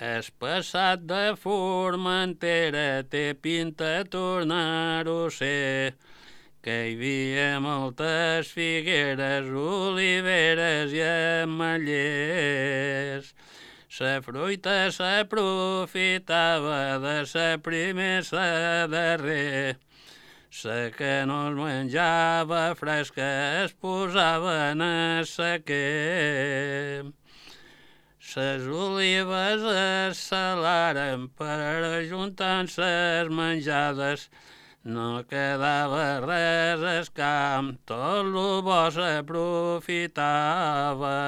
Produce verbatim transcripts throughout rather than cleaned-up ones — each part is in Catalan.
El passat de Formentera té pinta tornar-ho a ser, que hi havia moltes figueres, oliveres i ametllers. La fruita s'aprofitava de sa primer sa darrer, la que no es menjava fresca es posava en el sequer. Ses olives es salaren per ajuntar ses menjades, no quedava res al camp, tot lo bo s'aprofitava.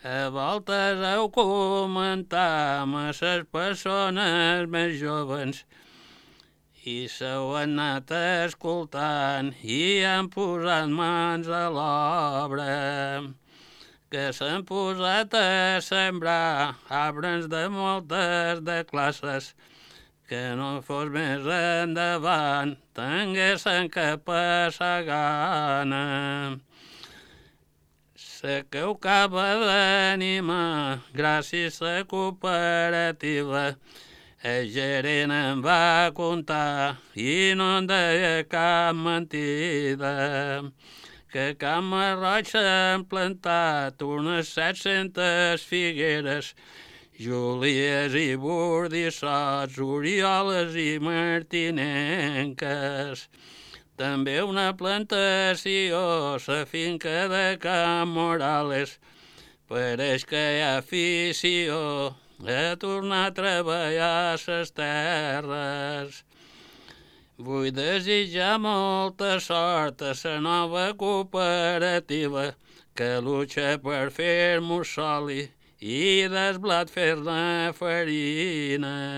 A voltes heu comentat a les persones més joves i s'heu anat escoltant i han posat mans a l'obra, que s'han posat a sembrar arbres de moltes de classes, que no fos més endavant tinguessin que passar gana. La que ho acaba d'animar, gràcies a la cooperativa, el gerent em va contar i no em deia cap mentida, que a Can Marroig s'han plantat unes set-centes figueres, Júlies i Bordissots, Orioles i Martinenques. També una plantació, la finca de Can Morales, pareix que hi ha afició a tornar a treballar les terres. Vull desitjar molta sort a la nova cooperativa que lucha per fer-nos soli i del blat fer-ne farina.